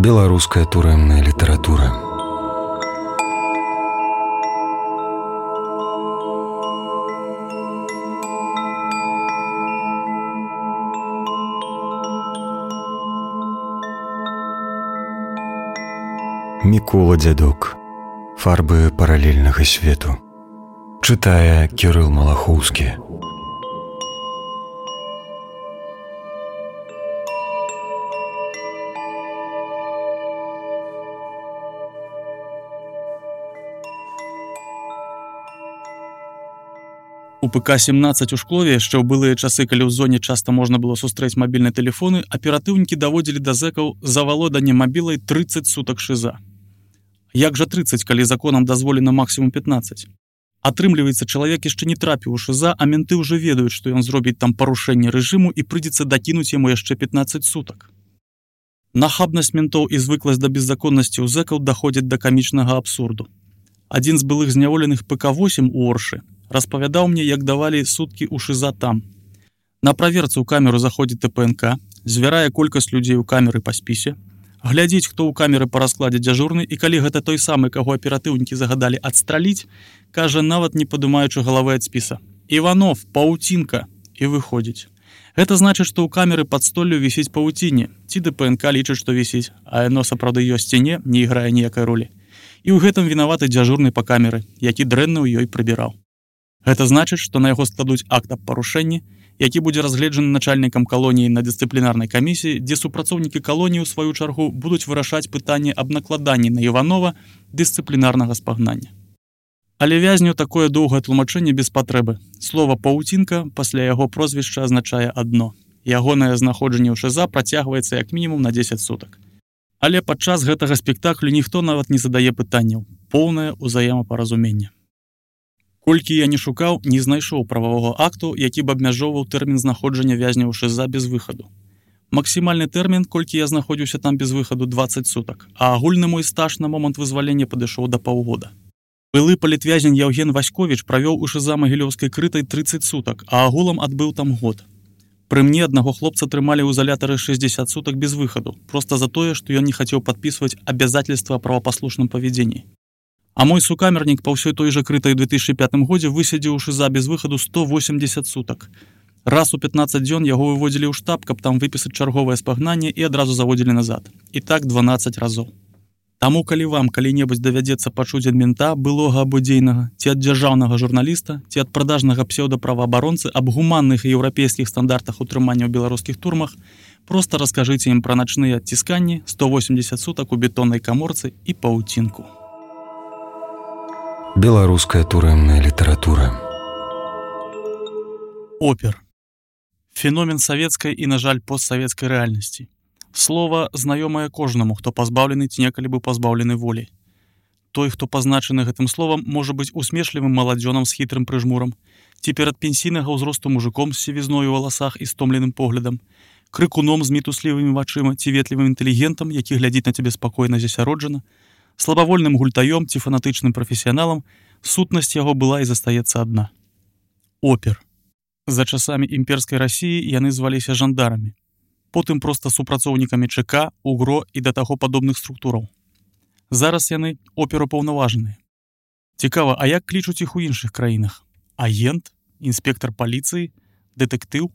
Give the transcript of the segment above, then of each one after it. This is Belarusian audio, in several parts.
Беларуская турэмная літаратура. Мікола Дзядок. Фарбы паралельнага свету. Чытае Кірыл Малахоўскі. У ПК-17 у Шклове яшчэ ў былыя часы, калі ў зоне часта можна было сустрэць мабільныя тэлефоны, аператыўнікі даводзілі да зэкаў завалоданне мабілай 30 сутак шыза. Як жа 30, калі законам дазволена максімум 15? Атрымліваецца, чалавек яшчэ не трапіў у шыза, а менты ўжо ведаюць, што ён зробіць там парушэнне рэжыму і прыйдзецца дакінуць яму яшчэ 15 сутак. Нахабнасць ментоў і звыкласць да беззаконнасці ў зэкаў даходзяць да камічнага абсурду. Адзін з былых зняволеных ПК-8 у Оршы распавядаў мне, як давалі суткі ў шыза там. На праверцы ў камеру заходзіць ТПНК, звярае колькасць людзей у камеры па спісе, глядзіць, хто ў камеры па раскладзе дзяжурны, і калі гэта той самы, каго аператыўнікі загадалі адстраліць, кажа, нават не падымаючы галавы ад спіса: «Іванов, паўцінка!» і выходзіць. Гэта значыць, што ў камеры пад столлю вісіць павуцінне, ці ДПНК лічыць, што вісіць, а яно сапраўды ёсць ці не іграе ніякай ролі. І ў гэтым вінаваты дзяжурны па камеры, які дрэнна ў ёй прыбіраў. Гэта значыць, што на яго складуць акт аб парушэнні, які будзе разгледжаны начальнікам калоніі на дысцыплінарнай камісіі, дзе супрацоўнікі калоніі ў сваю чаргу будуць вырашаць пытанне аб накладанні на Іванова дысцыплінарнага спагнання. Але вязню такое доўгае тлумачэнне без патрэбы. Слова «паўцінка» пасля яго прозвішча азначае адно. Ягонае знаходжанне ў шыза працягваецца як мінімум на 10 сутак. Але падчас гэтага спектаклю ніхто нават не задае пытанняў. Поўнае ўзаемапаразуменне. Колькі я не шукаў, не знайшоў прававога акту, які б абмяжоўваў тэрмін знаходжання вязня ў шыза без выхаду. Максімальны тэрмін, колькі я знаходзіўся там без выхаду, 20 сутак, а агульны мой стаж на момант вызвалення падышоў да паўгода. Былы палітвязень Яўген Васьковіч правёў у шыза Магілёўскай крытай 30 сутак, а агулам адбыў там год. Пры мне аднаго хлопца трымалі ў изолятары 60 сутак без выхаду, проста за тое, што ён не хацеў падпісваць абязательства о правапаслушным павядзенні. А мой сукамернік па ўсёй той жа крытай у 2005 годзе высядзіў у шыза без выхаду 180 сутак. Раз у 15 дзён яго выводзілі ў штаб, каб там выпісаць чарговае спагнанне, і адразу заводзілі назад. І так 12 разоў. Таму, калі вам калі-небудзь давядзецца пачуць ад мента, былога або дзейнага, ці ад дзяржаўнага журналіста, ці ад прадажнага псеўдаправаабаронцы аб гуманных і еўрапейскіх стандартах утрымання ў беларускіх турмах, проста раскажыце ім пра начныя адцісканні, 180 сутак у бетоннай каморцы і паўцінку. Беларуская турэмная літаратура. Опер. Феномен савецкай і, на жаль, постсавецкай рэальнасці. Слова знаёмае кожнаму, хто пазбаўлены ці некалі быў пазбаўлены волі. Той, хто пазначаны гэтым словам, можа быць усмешлівым маладзёнам з хітрым прыжмурам, ці перад пенсійнага ўзросту мужиком з сівізною ў валасах і стомленым поглядам, крыкуном з мітуслівымі вачыма ці ветлівым інтэлігентам, які глядзіць на цябе спакойна засяроджана, слабавольным гультаём ці фанатычным прафесіяналам, сутнасць яго была і застаецца адна. Опер. За часамі імперскай Расіі яны зваліся жандарамі, потым проста супрацоўнікамі ЧК, УГРО і да таго падобных структураў. Зараз яны оперупаўнаважаныя. Цікава, а як клічуць іх у іншых краінах? Агент, інспектар паліцыі, дэтэктыў?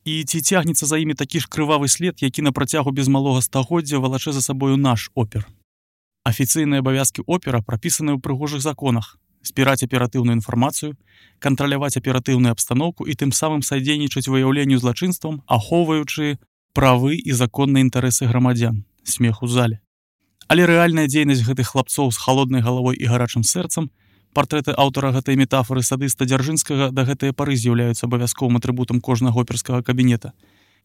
І ці цягнецца за імі такі ж крывавы след, які на працягу без малога стагоддзя валачэ за сабою наш опер? Афіцыйныя абавязкі опера прапісаны ў прыгожых законах: збіраць аператыўную інфармацыю, кантраляваць аператыўную абстаноўку і тым самым садзейнічаць выяўленню злачынствам, ахоўваючы правы і законныя інтарэсы грамадзян. Смех у зале. Але рэальная дзейнасць гэтых хлапцоў з халоднай галавой і гарачым сэрцам, партрэты аўтара гэтай метафоры садыста Дзяржынскага да гэтыя пары з'яўляюцца абавязковым атрыбутам кожнага оперскага кабінета.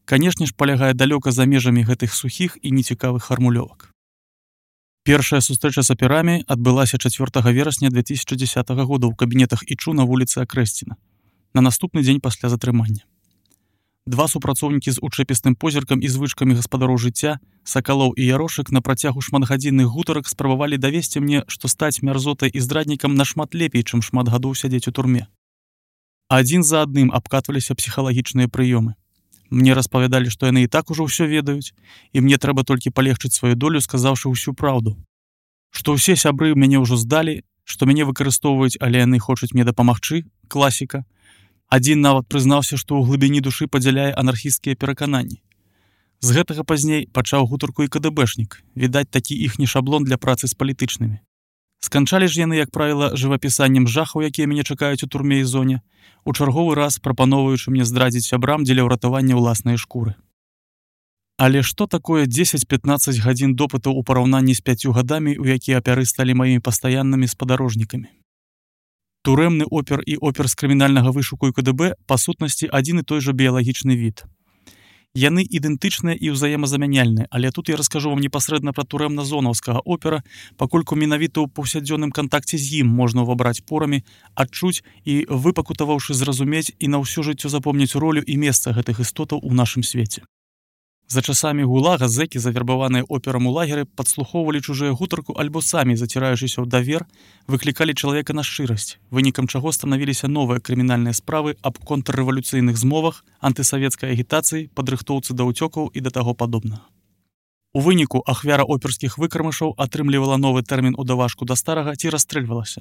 Канешне ж, палягае далёка за межамі гэтых сухіх і нецікавых фармулёвак. Першая сустрэча з аперамі адбылася 4 верасня 2010 года ў кабінетах ІЧУ на вуліцы Акрэсціна, на наступны дзень пасля затрымання. Два супрацоўнікі з учэпістым позіркам і звычкамі гаспадароў жыцця, Сакалоў і Ярошык, на працягу шматгадзінных гутарак спрабавалі давесці мне, што стаць мярзотай і здраднікам нашмат лепей, чым шмат гадоў сядзець у турме. Адзін за адным абкатваліся псіхалагічныя прыёмы. Мне распавядалі, што яны і так ужо ўсё ведаюць, і мне трэба толькі палегчыць сваю долю, сказаўшы ўсю праўду. Што ўсе сябры мяне ўжо здалі, што мяне выкарыстоўваюць, але яны хочуць мне дапамагчы, класіка. Адзін нават прызнаўся, што ў глыбіні душы падзяляе анархісцкія перакананні. З гэтага пазней пачаў гутарку і КДБшнік, відаць, такі іхні шаблон для працы з палітычнымі. Сканчалі ж яны, як правіла, жывапісаннем жахаў, якія мяне чакаюць у турме і зоне, у чарговы раз прапаноўваючы мне здрадзіць сябрам дзеля ўратавання ўласнай шкуры. Але што такое 10-15 гадзін допытаў у параўнанні з 5 гадамі, у якія апяры сталі маімі пастаяннымі спадарожнікамі? Турэмны опер і опер з крымінальнага вышуку і КДБ па сутнасці адзін і той жа біялагічны від. Яны ідэнтычныя і ўзаемазамяняльныя, але тут я раскажу вам непасрэдна пра турэмна-зонаўскага опера, пакольку менавіта ў паўсядзённым кантакце з ім можна ўвабраць порамі, адчуць і, выпакутаваўшы, зразумець і на ўсё жыццё запомніць ролю і месца гэтых істотаў у нашым свеце. За часамі гулага зэкі, завербаваныя операм у лагеры, падслухоўвалі чужыя гутарку альбо самі, заціраючыся ў давер, выклікалі чалавека на шчырасць, вынікам чаго станавіліся новыя крымінальныя справы аб контррэвалюцыйных змовах, антысавецкай агітацыі, падрыхтоўцы да ўцёкаў і да таго падобнага. У выніку ахвяра оперскіх выкармышаў атрымлівала новы тэрмін у давашку да старага ці расстрэльвалася.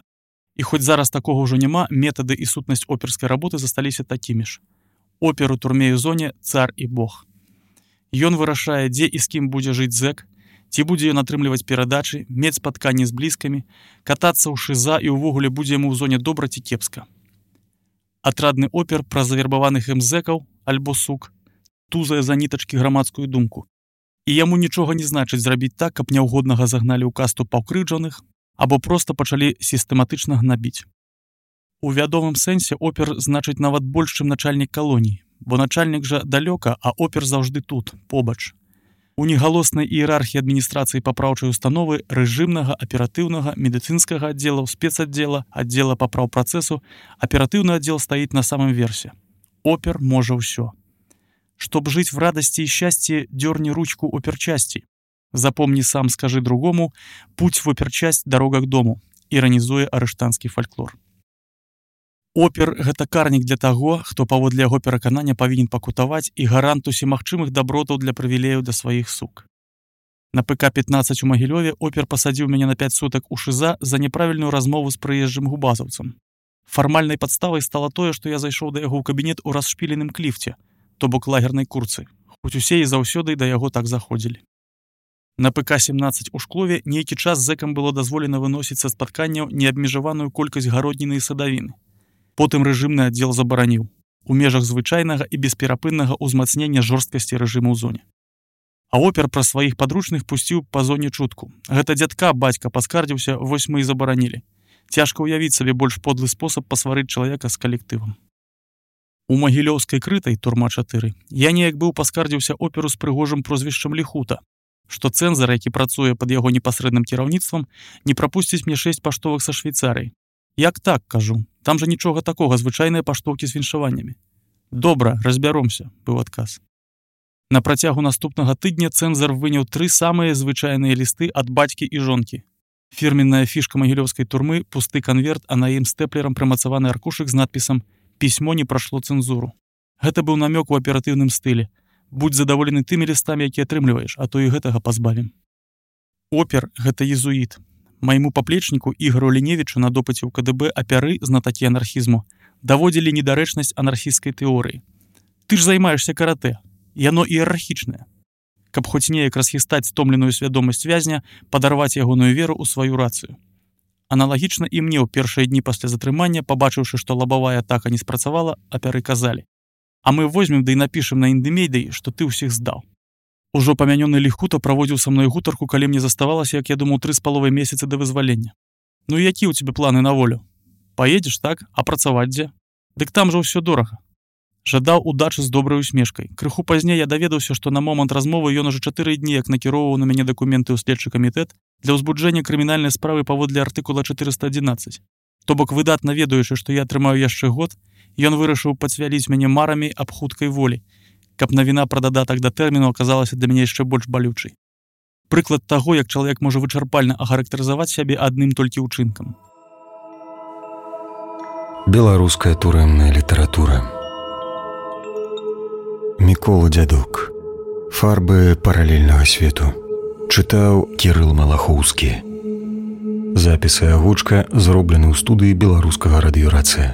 І хоць зараз такога ўжо няма, метады і сутнасць оперскай работы засталіся такімі ж. Опер у турме і зоне цар і бог. Ён вырашае, дзе і з кім будзе жыць зэк, ці будзе ён атрымліваць перадачы, мець спатканні з блізкамі, катацца ў шыза і ўвогуле будзе яму ў зоне добра ці кепска. Атрадны опер пра завербаваных ім зэкаў, альбо сук, тузае за нітачкі грамадскую думку. І яму нічога не значыць зрабіць так, каб няўгоднага загналі ў касту паўкрыўджаных, або проста пачалі сістэматычна гнабіць. У вядомым сэнсе опер значыць нават больш, чым начальнік калоніі, бо начальнік жа далёка, а опер заўжды тут, побач. У негалоснай іерархіі адміністрацыі папраўчай установы рэжымнага, аператыўнага, медыцынскага аддзелаў, спецаддзела, аддзела папраўпрацэсу, аператыўны аддзел стаіць на самым версе. Опер можа ўсё. Чтоб жыць в радасці і шчасці, дёрни ручку оперчасці. Запомни сам, скажи другому, путь в оперчасць, дорога к дому, іранізуе арыштанскі фальклор. Опер – гэта карнік для таго, хто паводле яго пераканання павінен пакутаваць і гарант усімагчымых дабротаў для прывілеяў да сваіх сук. На ПК-15 у Магілёве опер пасадзіў мяне на 5 сутак у шыза за няправільную размову з прыезджым губазаўцам. Фармальнай падставай стала тое, што я зайшоў да яго ў кабінет у расшпіленым кліфце, то бок лагернай курцы, хоць усе і заўсёды да яго так заходзілі. На ПК-17 у Шклове нейкі час зэкам было дазволена выносіць са спатканняў неабмежаваную колькасць гародніны і садавіны. Потым рэжымны аддзел забараніў у межах звычайнага і бесперапыннага ўзмацнення жорсткасці рэжыму ў зоне. А опер пра сваіх падручных пусціў па зоне чутку. Гэта дзядка, бацька паскардзіўся, вось мы і забаранілі. Цяжка ўявіць сабе больш подлы спосаб пасварыць чалавека з калектывам. У Магілёўскай крытай, турма 4, я неяк быў паскардзіўся оперу з прыгожым прозвішчам Ліхута, што цэнзар, які працуе пад яго непасрэдным кіраўніцтвам, не прапусціць мне 6 паштовак са Швейцарыі. Як так, кажу, там жа нічога такога, звычайныя паштоўкі з віншаваннямі. Добра, разбяромся, быў адказ. На працягу наступнага тыдня цэнзар выняў 3 самыя звычайныя лісты ад бацькі і жонкі. Фірменная фішка магілёўскай турмы, пусты канверт, а на ім стэплерам прымацаваны аркушык з надпісам «Пісьмо не прашло цэнзуру». Гэта быў намёк у аператыўным стылі. Будь задаволены тымі лістамі, якія атрымліваеш, а то і гэтага пазбавім. Опер – гэта езуіт. Майму паплечніку Ігору Ліневічу на допыце ў КДБ апяры, знатакі анархізму, даводзілі недарэчнасць анархісцкай тэорыі. Ты ж займаешься каратэ. Яно іерархічнае. Каб хоць неяк расхістаць стомленую свядомасць вязня, падарваць ягоную веру ў сваю рацыю. Аналагічна і мне ў першыя дні пасля затрымання, пабачыўшы, што лабавая атака не спрацавала, апяры казалі: «А мы возьмем да і напішам на індымейдай, што ты ўсіх здаў». Ужо памянёны Ліхута праводзіў са мной гутарку, калі мне заставалася, як я думаў, 3,5 месяцы да вызвалення. Ну і які ў цябе планы на волю? Паедзеш, так? А працаваць дзе? Дык там жа ўсё дорага. Жадаў удачы з добрай усмешкай. Крыху пазней я даведаўся, што на момант размовы ён ужо 4 дні як накіроўваў на мяне дакументы ў следчы камітэт для ўзбуджэння крымінальнай справы паводле артыкула 411. То бок, выдатна ведаючы, што я атрымаю яшчэ год, ён вырашыў пацвяліць мяне марамі аб хуткай волі, каб навіна пра дадатак да тэрміну аказалася для мяне яшчэ больш балючай. Прыклад таго, як чалавек можа вычарпальна ахарактарызаваць сябе адным толькі ўчынкам. Беларуская турэмная літаратура. Мікола Дзядок. Фарбы паралельнага свету. Чытаў Кірыл Малахоўскі. Запіс і агучка зроблены ў студыі беларускага радыёрацыя.